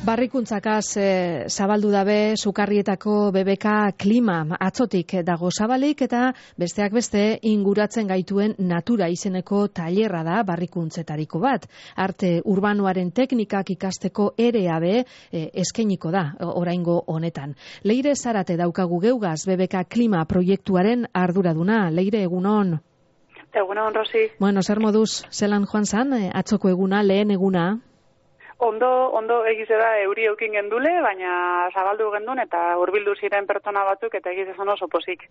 Barrikuntzakaz zabaldu dabe Sukarrietako BBK klima atzotik dago zabalik eta besteak beste inguratzen gaituen natura izeneko tailerra da barrikuntzetariko bat. Arte urbanoaren teknikak ikasteko ere abe eskainiko da oraingo honetan. Leire Zarate daukagu geugaz BBK klima proiektuaren arduraduna. Leire, egunon. Egunon, Rosi. Bueno, zer moduz, zelan joan zan, atzoko eguna, lehen eguna? Ondo egize da euri eukin gendule, baina zabaldu gendun eta hurbildu ziren pertsona batzuk eta egize zan oso pozik.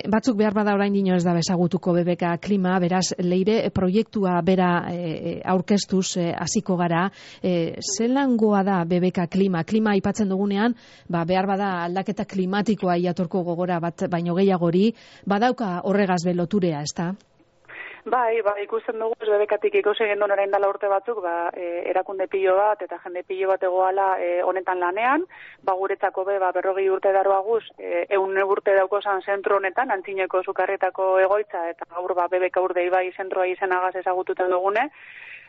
Batzuk behar bada orain dino ez da bezagutuko BBK klima, beraz, Leire, proiektua bera aurkeztuz hasiko gara. Zelangoa da BBK klima? Klima aipatzen dugunean, behar bada aldaketa klimatikoa iatorko gogora bat baino gehiagori, badauka horregaz beloturea, ez da? Bai, ikusten dugu, BBKtik ikusi gendun orain dela urte batzuk, erakunde pilo bat eta jende pilo bat egoala honetan lanean, guretzako 40 urte daroaguz, 100 urte daukozan zentro honetan, Antzineko Sukarrietako egoitza, eta gaur BBK urde ibai zentroa izenagaz ezagututen dugune,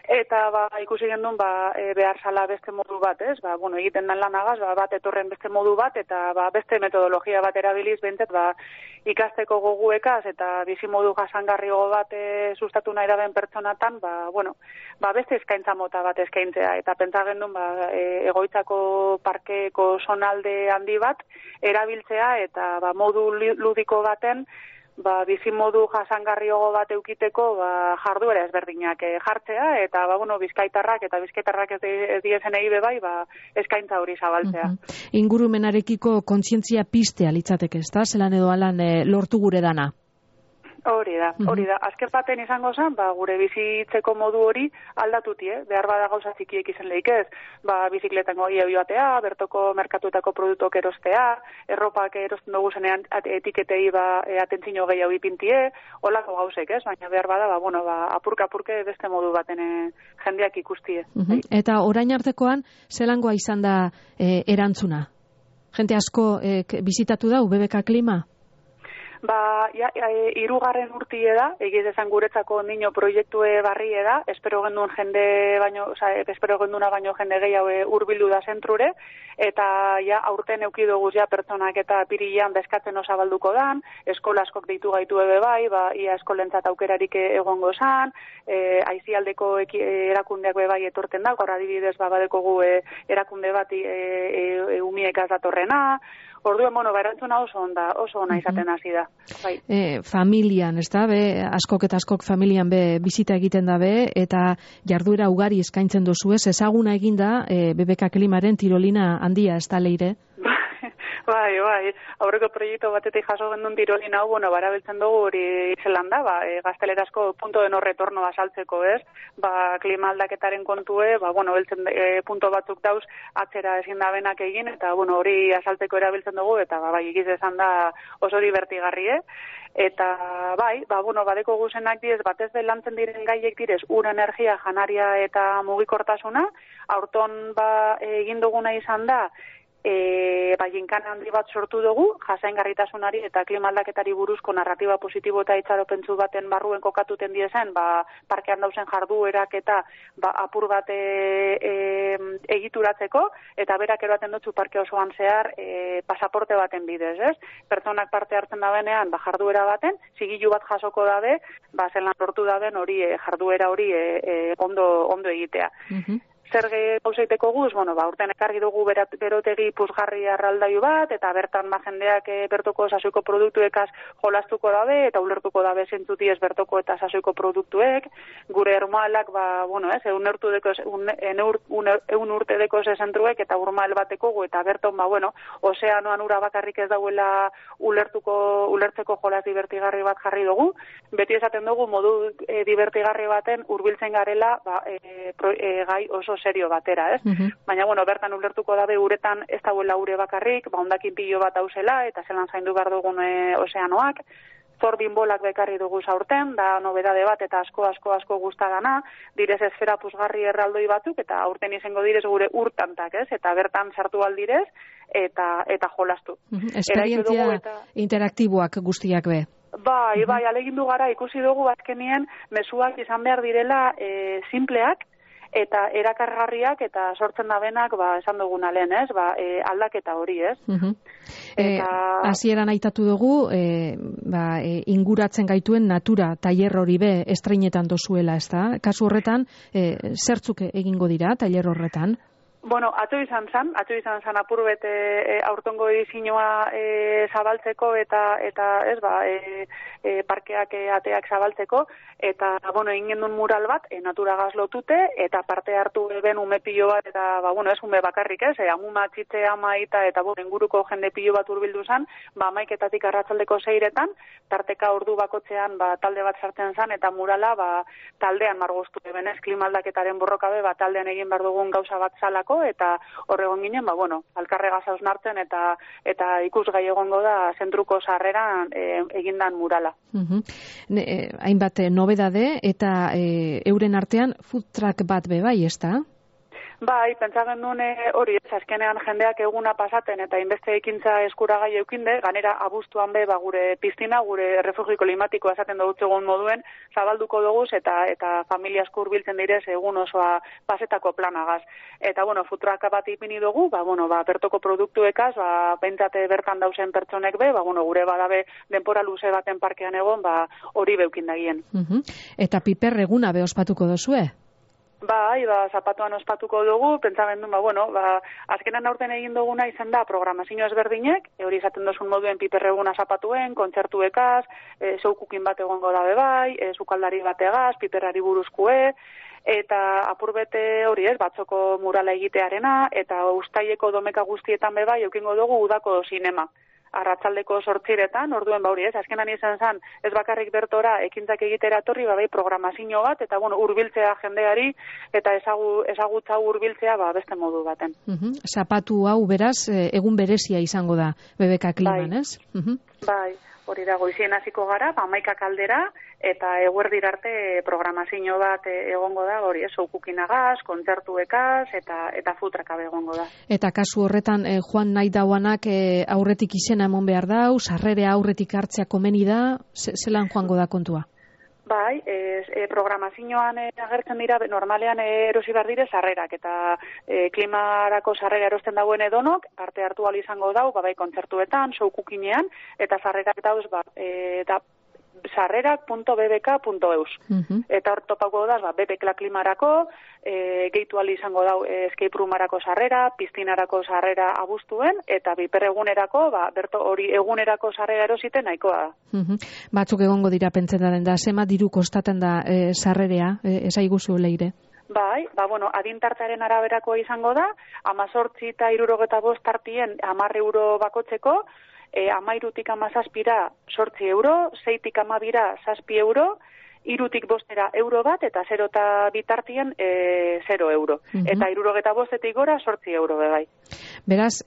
eta ikusi gendun behar zala beste modu bat, ez? Egiten den lanagaz, bat etorren beste modu bat, eta beste metodologia bat erabiliz bentzet, ikasteko goguekaz eta bizimodu jasangarriago bat sustatu nahi daben pertsonatan, beste eskaintza mota bat eskaintzea, eta pentsa gendun egoitzako parkeko zonalde handi bat erabiltzea, eta modu ludiko baten bizimodu jasangarriago bat eukiteko jarduera ezberdinak jartzea, eta bizkaitarrak ez diezen eibe bai, eskaintza hori zabaltzea. Ingurumenarekiko kontzientzia piztea litzateke, ez da? Zelan edo alan lortu gure dana? Hori da. Azken baten izango zen, gure bizitzeko modu hori aldatutie, behar bada gauza txikiek izan lehik ez, bizikletan goi joatea, bertoko merkatuetako produktok erostea, erropak erosten dugu zenean etiketei atentzino gehiago ipintie, holako gauzek ez, baina behar bada, apurka-apurke beste modu baten jendeak ikustie. Eta orain artekoan, zelangoa izan da erantzuna? Jente asko bizitatu dau BBK klima? Hirugarren urtie da, egiz esan guretzako nino proiektue barrie da, espero genduna baino jende gehiago hurbildu da zentrure, eta aurten eukidoguz pertsonak eta pirilean bezkatzen osabalduko dan, eskola askok deitu gaitu ebe bai, ia eskolentzat aukerarik egongo zan, aizialdeko erakundeak bai etorten da, gaur adibidez badekogu erakunde bat umiekaz datorrena. Orduan, erantzuna oso ona izaten hasi da. Familian, ez da, askok eta askok familian bizita egiten dabe, eta jarduera ugari eskaintzen dozu ez, ezaguna eginda BBK klimaren tirolina handia, ez da, Leire? Bai, aurreko proiektu batetik jaso gendun tirolina hau, barabiltzen dugu hori zelan da, gaztelerazko punto de no retorno azaltzeko, ez? Klima aldaketaren kontue, beltzen punto batzuk dauz atzera ezin da benak egin, eta hori azaltzeko erabiltzen dugu, eta egiz esan da oso divertigarri, Eta badeko guzenak diez, batez de lantzen diren gaiek direz, ur energia, janaria eta mugikortasuna, aurton egin duguna izan da, jinkan handi bat sortu dugu, jasaingarritasunari eta klimaldaketari buruzko narratiba positibo eta itxaropentsu baten barruen kokatuten diezen, parkean dauzen jarduerak eta apur bat egituratzeko, eta berak eroaten dutzu parke osoan zehar pasaporte baten bidez, ez? Pertsonak parte hartzen da benean, jarduera baten, zigilu bat jasoko dabe, zelan lortu daben hori jarduera hori ondo egitea. Zer gauzaiteko guz, urten ekarri dugu berotegi puzgarri arraldaiu bat, eta bertan jendeak bertoko sasoiko produktuekaz jolastuko dabe, eta ulertuko dabe zentzuti ez bertoko eta sasoiko produktuek, gure ermoalak, eun urte deko zentruek, eta urmael bateko gu, eta berton, ozeanoan ura bakarrik ez dauela ulertzeko jolas divertigarri bat jarri dugu, beti esaten dugu modu divertigarri baten hurbiltzen garela gai oso serio batera, ez? Baina, bertan ulertuko dabe uretan ez dauela ure bakarrik, hondakin pilo bat hauzela, eta zelan zaindu behar dugun ozeanoak, zorbin bolak bekarri dugu aurten, da nobedade bat eta asko gustadana, direz esfera puzgarri erraldoi batzuk, eta aurten izango direz gure urtantak, ez? Eta bertan sartu aldirez, eta jolastu. Esperientzia interaktiboak guztiak be. Bai, alegindu gara, ikusi dugu azkenien mezuak izan behar direla simpleak, eta erakargarriak eta sortzen dabenak, esan duguna lehen, ez? Aldaketa hori, ez? Hasieran aitatu dugu, inguratzen gaituen natura tailer hori be estreinetan dozuela, ez da? Kasu horretan, zertzuk egingo dira tailer horretan? Bueno, atzo izan zan apurbet aurtongo edizioa zabaltzeko eta parkeak ateak zabaltzeko, eta, egin gendun mural bat, naturagaz lotute, eta parte hartu ben ume pilo bat, eta, ez ume bakarrik ez, amuma txitze amaita, eta, inguruko jende pilo bat urbildu zan, amaiketatik arratzaldeko 6etan, tarteka ordu bakotzean, talde bat sartzen zan, eta murala, taldean margoztu benez, klimaldaketaren borrokabe, taldean egin behar dugun gauza bat zalako, eta horregon ginen, alkarregaz hausnartzen eta ikusgai egongo da zentruko sarreran egindan murala. Hainbat nobedade eta euren artean food truck bat be bai, ez da? Bai, pentsagen duen hori, azkenean jendeak eguna pasaten eta inbeste ekintza eskuragai eukinde, ganera abuztuan be, gure piztina, gure refugio klimatikoa esaten dutzegun moduen, zabalduko doguz eta familia asko hurbiltzen direz egun osoa pasetako planagaz. Eta, food truck bat ipini dugu, bertoko produktuekaz, bentsate bertan dauzen pertsonek be, gure badabe denpora luze baten parkean egon, hori beukindagien. Eta piper eguna be ospatuko dozue? Bai, zapatuan ospatuko dugu, pentsamen duen, azkenan aurten egin duguna izan da programazio ezberdinek, hori izaten dozun moduen piperreguna zapatuen, kontzertuekaz, zoukukin bat egongo dabe bai, zukaldari bategaz, piperari buruzkue, eta apurbete hori batzoko murala egitearena, eta ustaileko domeka guztietan be bai, eukingo dugu udako sinema. Arratzaldeko 8etan, orduen azkenan izan zen, ez bakarrik bertora ekintzak egitera etorri, programazio bat, eta hurbiltzea jendeari, eta ezagutza hurbiltzea beste modu baten. Zapatu hau beraz, egun berezia izango da, BBK Kliman, ez? Bai, hori da, goizien hasiko gara, 11 aldera, eta eguerdir arte programazio bat egongo da, hori zoukukinagaz, kontzertuekaz, eta futrakabe egongo da. Eta kasu horretan, joan nahi dauanak aurretik izena emon behar dau, sarrerea aurretik hartzea komeni da, zelan joango da kontua? Bai, programazioan agertzen dira, normalean erosi behar dire sarrerak, eta klimarako sarrera erosten dauen edonok, parte hartu ahal izango dau, bai kontzertuetan, zoukukinean, eta sarrerak dauz, sarrerak.bbk.eus. Eta hor topako da, BBK klimarako, gehitu ahal izango dau escape roomarako sarrera, piztinarako sarrera abuztuen, eta biperegunerako, berto hori egunerako sarrera erositen nahikoa da. Batzuk egongo dira pentsetan da, zema diru kostaten da sarrerea, esaiguzu leire? Bai, adintartaren araberakoa izango da, 18 eta 65 tartien 10 euro bakotzeko, 13tik 17ra 8 euro, 6tik 12ra 7 euro, 3tik 5era euro bat, eta 0 eta bitartien 0 euro. Eta 65etik gora 8 euro bebai. Beraz,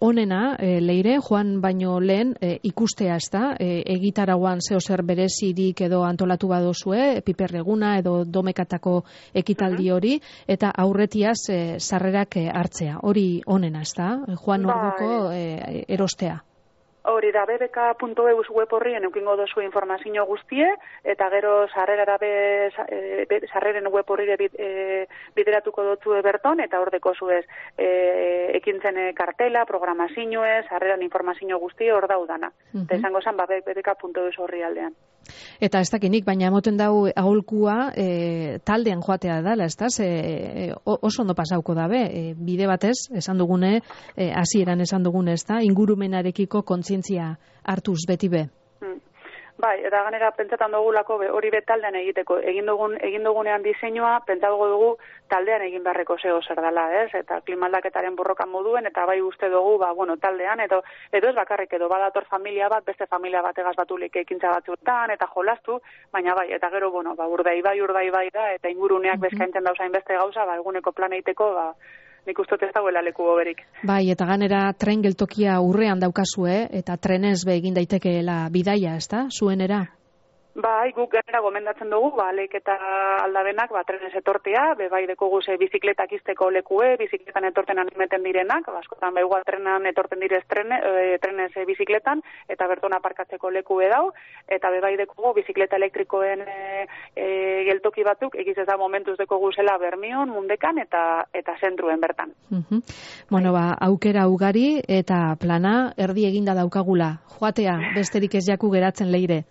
onena, leire, joan baino lehen ikustea ez da, egitarauan zer berezirik edo antolatu badozue, piperreguna edo domekatako ekitaldi hori, eta aurretiaz sarrerak hartzea. Hori onena ez da, joan orduko erostea. Hori da, bbk.eus web horrien eukingo dozu informazio guztie, eta gero sarreren web horrire bideratuko dutzu berton, eta hor deko zuez ekintzen kartela, programazioez, sarreran informazio guztie hor daudana. Eta izango zen, bbk.eus horri aldean. Eta ez dakinik, baina emoten dau aholkua taldean joatea dala, ez da? Oso ondo pasauko dabe, bide batez, esan dugune, hasieran esan dugune, ez da? Ingurumenarekiko kontzientzia hartuz beti be. Bai, eta ganera pentsatan dugulako hori taldean egiteko. Egin dugunean diseinua, pentsago dugu taldean egin beharreko zeo zer dela, ez? Eta klimaldaketaren borrokan moduen, eta bai uste dugu, taldean, edo ez bakarrik edo badator familia bat, beste familia bategaz batulik ekintza batzuetan, eta jolastu, baina bai, eta gero, urdai bai da, eta inguruneak bezkaintzen dauzain beste gauza, eguneko plan egiteko, nik uste ez dagoela leku hoberik. Bai, eta ganera tren geltokia urrean daukazue, eta trenez be egin daitekeela bidaia, ezta, zuenera? Bai, guk gainera gomendatzen dugu, Leik eta Aldabenak, trenez etortea, bai dekogu bizikletak izteko lekue, bizikletan etorten animeten direnak, askotan igual trenan etorten direz trenez bizikletan, eta berton aparkatzeko lekue dau, eta bai dekogu bizikleta elektrikoen geltoki batzuk, egiz ez da momentuz dekogu zela Bermion, Mundekan, eta zentruen bertan. Bueno, aukera ugari, eta plana erdi eginda daukagula. Joatea, besterik ez jaku geratzen leire.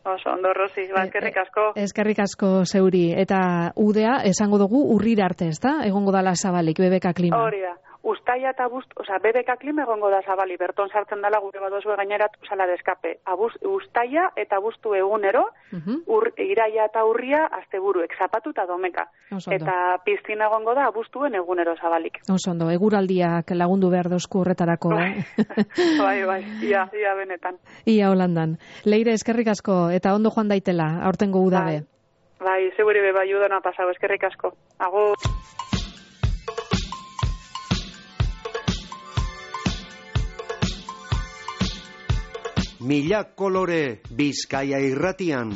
Oso, ondo, Rosi, eskerrik asko. Eskerrik asko zeuri. Eta udea, esango dugu, urrira arte, ezta? Egongo dala zabalik, BBK Klima. Hori da. Ustaia eta BBK Klima egongo da zabali. Berton sartzen dela gure badozue gaineratu sala de escape. Ustaia eta abuztu egunero, iraia eta urria asteburuek, zapatu eta domeka. Eta piztina egongo da abuztuen egunero zabalik. Osondo, eguraldiak lagundu behar dozku horretarako, Bai, ia benetan. Ia Holandan. Leire, eskerrik asko, eta ondo joan daitela, aurtengo udabe. Bai, seguri bai udona pasau, eskerrik asko. Agur. Mila kolore Bizkaia irratian.